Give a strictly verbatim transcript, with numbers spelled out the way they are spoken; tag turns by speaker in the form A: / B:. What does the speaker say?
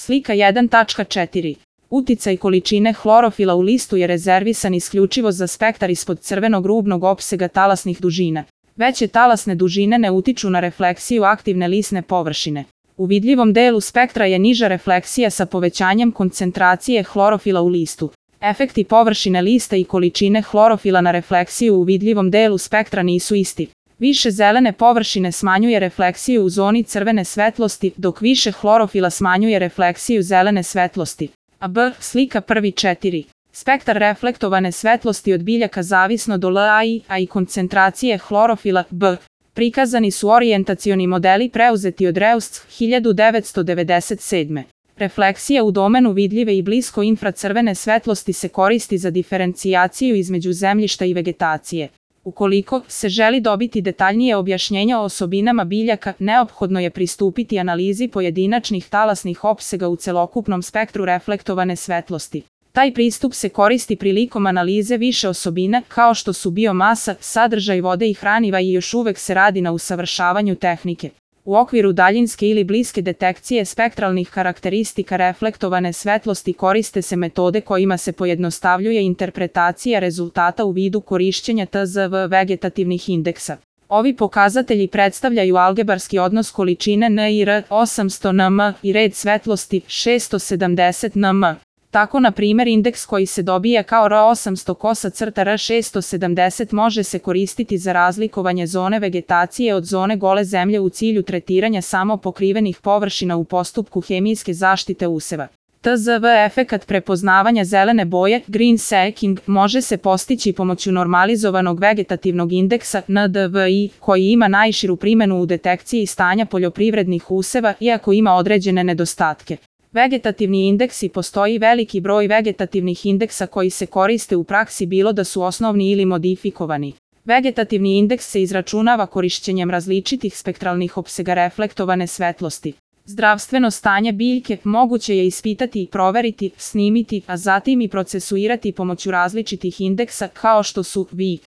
A: Slika jedan tačka četiri. Uticaj količine hlorofila u listu je rezervisan isključivo za spektar ispod crvenog rubnog opsega talasnih dužina. Veće talasne dužine ne utiču na refleksiju aktivne lisne površine. U vidljivom delu spektra je niža refleksija sa povećanjem koncentracije hlorofila u listu. Efekti površine lista i količine hlorofila na refleksiju u vidljivom delu spektra nisu isti. Više zelene površine smanjuje refleksiju u zoni crvene svetlosti, dok više hlorofila smanjuje refleksiju zelene svetlosti. A B. Slika prvi četiri. Spektar reflektovane svetlosti od biljaka zavisno do L A I, a i koncentracije hlorofila B. Prikazani su orijentacioni modeli preuzeti od Reusc hiljadu devetsto devedeset sedme. Refleksija u domenu vidljive i blisko infracrvene svetlosti se koristi za diferencijaciju između zemljišta i vegetacije. Ukoliko se želi dobiti detaljnije objašnjenje o osobinama biljaka, neophodno je pristupiti analizi pojedinačnih talasnih opsega u celokupnom spektru reflektovane svetlosti. Taj pristup se koristi prilikom analize više osobina, kao što su biomasa, sadržaj vode i hraniva i još uvek se radi na usavršavanju tehnike. U okviru daljinske ili bliske detekcije spektralnih karakteristika reflektovane svetlosti koriste se metode kojima se pojednostavljuje interpretacija rezultata u vidu korišćenja T Z V vegetativnih indeksa. Ovi pokazatelji predstavljaju algebarski odnos količine N I R osamsto nm i red svetlosti šesto sedamdeset nm. Tako, na primjer, indeks koji se dobija kao R osamsto kosa crta R šesto sedamdeset može se koristiti za razlikovanje zone vegetacije od zone gole zemlje u cilju tretiranja samo pokrivenih površina u postupku hemijske zaštite useva. T Z V efekat prepoznavanja zelene boje, green stacking, može se postići pomoću normalizovanog vegetativnog indeksa N D V I, koji ima najširu primjenu u detekciji stanja poljoprivrednih useva, iako ima određene nedostatke. Vegetativni indeksi. Postoji veliki broj vegetativnih indeksa koji se koriste u praksi, bilo da su osnovni ili modifikovani. Vegetativni indeks se izračunava korišćenjem različitih spektralnih opsega reflektovane svetlosti. Zdravstveno stanje biljke moguće je ispitati i proveriti, snimiti, a zatim i procesuirati pomoću različitih indeksa kao što su V I